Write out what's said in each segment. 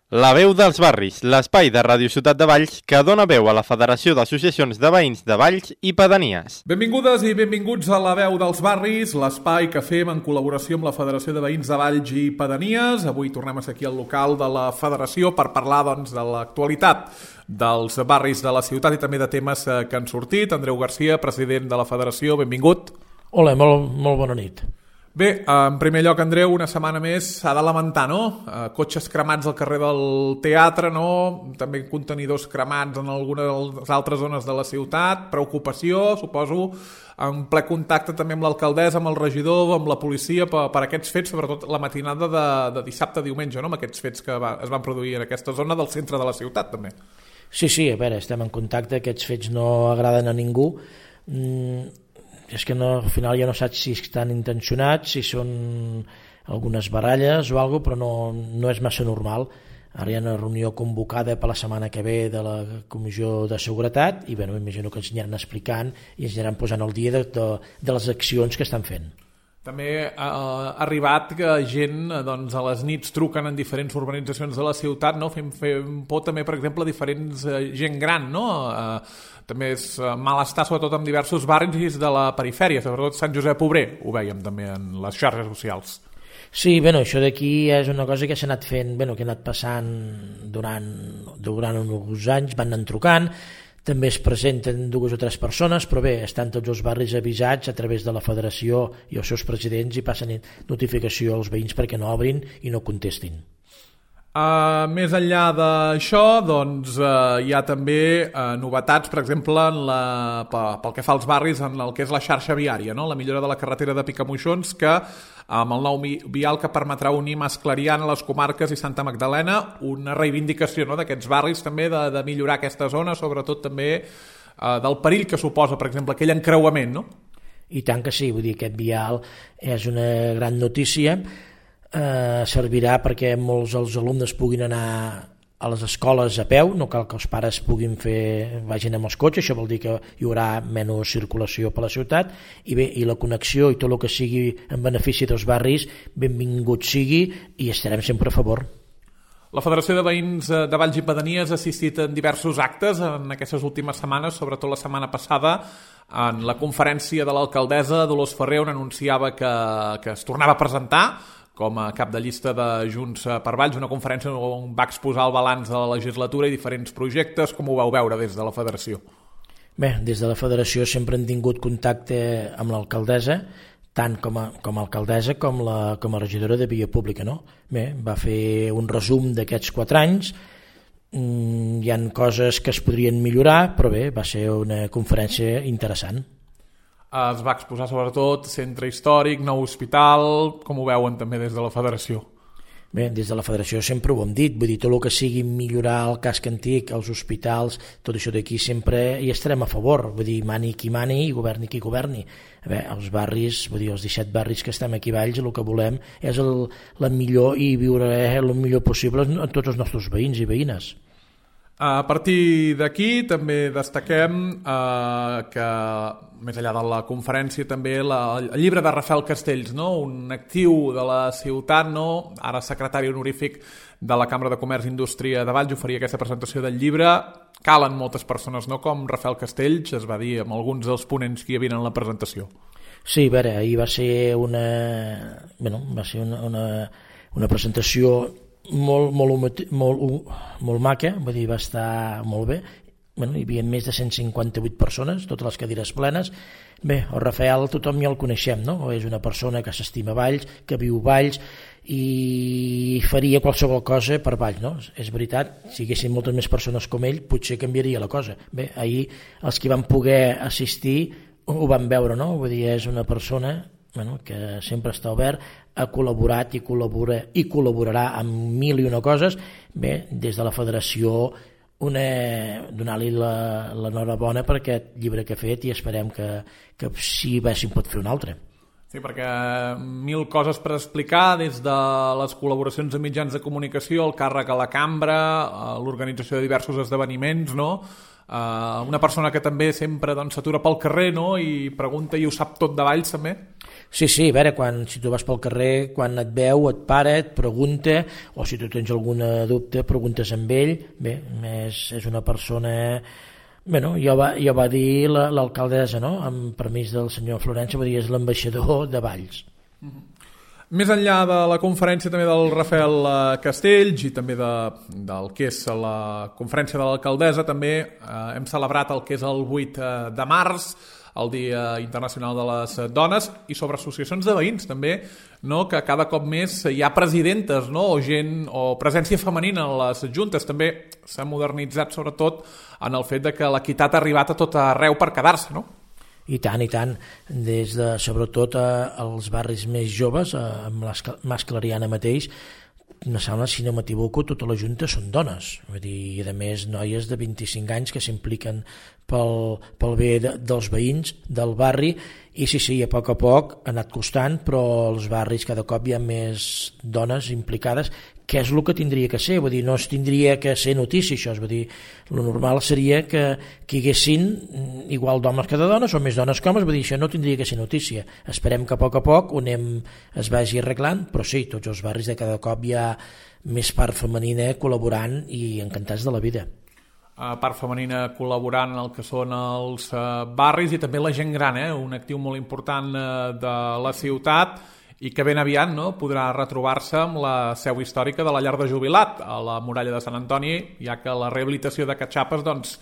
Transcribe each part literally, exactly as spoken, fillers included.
La veu dels barris, l'espai de Ràdio Ciutat de Valls que dona veu a la Federació d'Associacions de Veïns de Valls i Pedanies. Benvingudes i benvinguts a La veu dels barris, l'espai que fem en col·laboració amb la Federació de Veïns de Valls i Pedanies. Avui tornem a ser aquí al local de la Federació per parlar doncs, de l'actualitat dels barris de la ciutat i també de temes que han sortit. Andreu Garcia, president de la Federació, benvingut. Hola, molt, molt bona nit. Bé, en primer lloc, Andreu, una setmana més s'ha de lamentar, no? Cotxes cremats al carrer del teatre, no? També contenidors cremats en algunes de les altres zones de la ciutat. Preocupació, suposo, en ple contacte també amb l'alcaldessa, amb el regidor, amb la policia, per, per aquests fets, sobretot la matinada de, de dissabte a diumenge, no? Amb aquests fets que va, es van produir en aquesta zona del centre de la ciutat, també. Sí, sí, a veure, estem en contacte, aquests fets no agraden a ningú. Mm, és que no, al final ja no saps si estan intencionats, si són algunes baralles o alguna cosa, però no, no és massa normal. Ara hi ha una reunió convocada per la setmana que ve de la Comissió de Seguretat i bueno, m'imagino que ens aniran explicant i ens aniran posant al dia de, de, de les accions que estan fent. També ha arribat que gent doncs, a les nits truquen en diferents urbanitzacions de la ciutat, no? fem, fem por també, per exemple, a diferents eh, gent gran, no? Eh, també és malestar sobretot en diversos barris de la perifèria, sobretot Sant Josep Obrer, ho veiem també en les xarxes socials. Sí, bueno, això d'aquí és una cosa que s'ha anat fent, bueno, que ha anat passant durant, durant uns anys, van anant trucant, també es presenten dues o tres persones, però bé, estan tots els barris avisats a través de la federació i els seus presidents i passen notificació als veïns perquè no obrin i no contestin. Uh, més enllà d'això, doncs, uh, hi ha també uh, novetats, per exemple, en la, pel que fa als barris, en el que és la xarxa viària, no? La millora de la carretera de Picamoixons, que amb el nou vial que permetrà unir Mas-Clariana, les comarques i Santa Magdalena, una reivindicació, no?, d'aquests barris també, de, de millorar aquesta zona, sobretot també uh, del perill que suposa, per exemple, aquell encreuament, no? I tant que sí, vull dir, aquest vial és una gran notícia. Eh, servirà perquè molts dels alumnes puguin anar a les escoles a peu, no cal que els pares puguin fer, vagin amb els cotxes, això vol dir que hi haurà menys circulació per la ciutat i bé, i la connexió i tot el que sigui en benefici dels barris, benvingut sigui i estarem sempre a favor. La Federació de Veïns de Valls i Pedanies ha assistit en diversos actes en aquestes últimes setmanes, sobretot la setmana passada, en la conferència de l'alcaldessa Dolors Ferrer, on anunciava que, que es tornava a presentar com a cap de llista de Junts per Valls, una conferència on va exposar el balanç de la legislatura i diferents projectes. Com ho vau veure des de la Federació? Bé, des de la Federació sempre hem tingut contacte amb l'alcaldessa, tant com a, com a alcaldessa com, la, com a regidora de Via Pública, no? Bé, va fer un resum d'aquests quatre anys, mm, hi ha coses que es podrien millorar, però bé, va ser una conferència interessant. Es va exposar sobretot centre històric, nou hospital, com ho veuen també des de la Federació? Bé, des de la Federació sempre ho hem dit, vull dir, tot el que sigui millorar el casc antic, els hospitals, tot això d'aquí sempre hi estarem a favor, vull dir, mani qui mani i governi qui governi. Bé, els barris, vull dir, els disset barris que estem aquí a Valls, el que volem és el, la millor i viure el millor possible a tots els nostres veïns i veïnes. A partir d'aquí també destaquem eh, que, més enllà de la conferència, també la, el llibre de Rafael Castells, no? Un actiu de la ciutat, no? Ara secretari honorífic de la Cambra de Comerç i Indústria de Valls, oferia aquesta presentació del llibre. Calen moltes persones, no?, com Rafael Castells, es va dir amb alguns dels ponents que hi havia en la presentació. Sí, a veure, ahir va ser una, bueno, va ser una, una, una presentació molt, molt, molt, molt maca, vull dir, va estar molt bé. Bueno, hi havia més de cent cinquanta-vuit persones, totes les cadires plenes. Bé, el Rafael tothom ja el coneixem, no? És una persona que s'estima Valls, que viu Valls i faria qualsevol cosa per Valls, no? És veritat, si hi haguessin moltes més persones com ell, potser canviaria la cosa. Bé, ahir els que van poder assistir ho van veure, no? Vull dir, és una persona, bueno, que sempre està obert, ha col·laborat i col·labora i col·laborarà amb mil i una coses. Bé, des de la Federació donar-li l'enhorabona per aquest llibre que ha fet i esperem que, que si bé se'n pot fer un altre. Sí, perquè mil coses per explicar, des de les col·laboracions amb mitjans de comunicació, el càrrec a la cambra, l'organització de diversos esdeveniments, no? Uh, una persona que també sempre doncs, s'atura pel carrer, no?, i pregunta i ho sap tot de Valls també. Sí, sí, a veure, quan, si tu vas pel carrer, quan et veu, et para, et pregunta, o si tu tens alguna dubte, preguntes amb ell. Bé, és, és una persona... Bueno, ja va, ja va dir l'alcaldessa, no?, amb permís del senyor Florença, va dir és l'ambaixador de Valls. Mm-hmm. Més enllà de la conferència també del Rafael Castells i també de, del que és la conferència de l'alcaldessa, també eh, hem celebrat el que és el vuit de març, el Dia Internacional de les Dones, i sobre associacions de veïns també, no?, que cada cop més hi ha presidentes, no?, o gent o presència femenina en les juntes. També s'ha modernitzat sobretot en el fet de que l'equitat ha arribat a tot arreu per quedar-se, no? I tant, i tant, des de, sobretot als barris més joves, amb la Mas Clariana mateix, no sembla, si no m'equivoco, tota la Junta són dones, vull dir, i a més noies de vint-i-cinc anys que s'impliquen pel, pel bé de, dels veïns del barri, i sí, sí, a poc a poc ha anat costant, però als barris cada cop hi ha més dones implicades, que és el que tindria que ser, vull dir, no es tindria que ser notícia això, vull dir, el normal seria que, que hi haguessin igual d'homes que de dones, o més dones que homes, vull dir, això no tindria que ser notícia. Esperem que a poc a poc ho anem, es vagi arreglant, però sí, tots els barris de cada cop hi ha més part femenina col·laborant i encantats de la vida. Uh, part femenina col·laborant en el que són els uh, barris i també la gent gran, eh? Un actiu molt important uh, de la ciutat, i que ben aviat, no?, podrà retrobar-se amb la seu històrica de la llar de jubilat a la muralla de Sant Antoni, ja que la rehabilitació de Catxapes doncs,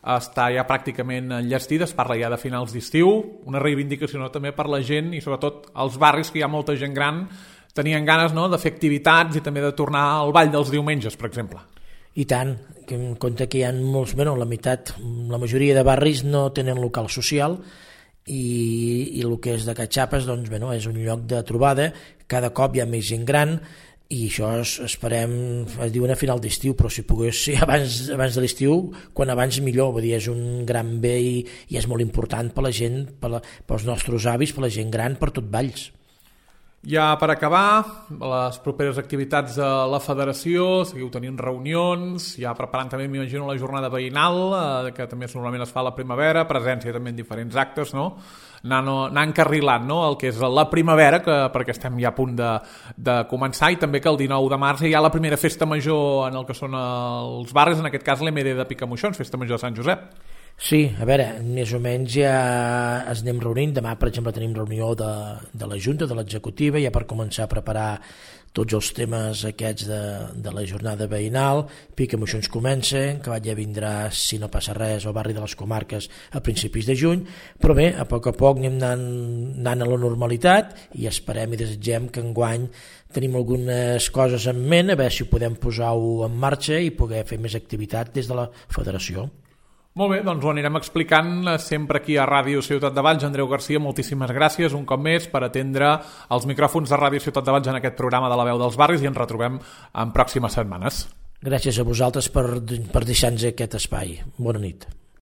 està ja pràcticament enllestida, es parla ja de finals d'estiu, una reivindicació, no?, també per la gent i sobretot als barris que hi ha molta gent gran tenien ganes, no?, de fer activitats i també de tornar al ball dels diumenges, per exemple. I tant, que en compte que hi ha molts, bueno, la meitat, la majoria de barris no tenen local social, i, i el que és de Catxapes doncs, bueno, és un lloc de trobada, cada cop hi ha més gent gran i això es, esperem, es diuen a final d'estiu, però si pogués ser abans, abans de l'estiu, quan abans millor, vull dir, és un gran bé i, i és molt important per la gent, per la, pels nostres avis, per la gent gran, per tot Valls. Ja per acabar, les properes activitats de la federació, seguiu tenint reunions, ja preparant també, m'imagino, la jornada veïnal, eh, que també normalment es fa a la primavera, presència també en diferents actes, no? Anant, anant encarrilant, no?, el que és la primavera, que, perquè estem ja a punt de, de començar, i també que el dinou de març hi ha la primera festa major en el que són els barris, en aquest cas l'M D de Picamoixons, festa major de Sant Josep. Sí, a veure, més o menys ja es anem reunint. Demà, per exemple, tenim reunió de, de la Junta, de l'executiva, ja per començar a preparar tots els temes aquests de, de la jornada veïnal. Picamoixons comença, que ja vindrà, si no passa res, al barri de les Comarques a principis de juny, però bé, a poc a poc anem anant, anant a la normalitat i esperem i desitgem que enguany tenim algunes coses en ment, a veure si ho podem posar-ho en marxa i poder fer més activitat des de la federació. Molt bé, doncs ho anirem explicant sempre aquí a Ràdio Ciutat de Valls. Andreu Garcia, moltíssimes gràcies un cop més per atendre els micròfons de Ràdio Ciutat de Valls en aquest programa de la veu dels barris i ens retrobem en pròximes setmanes. Gràcies a vosaltres per, per deixar-nos aquest espai. Bona nit.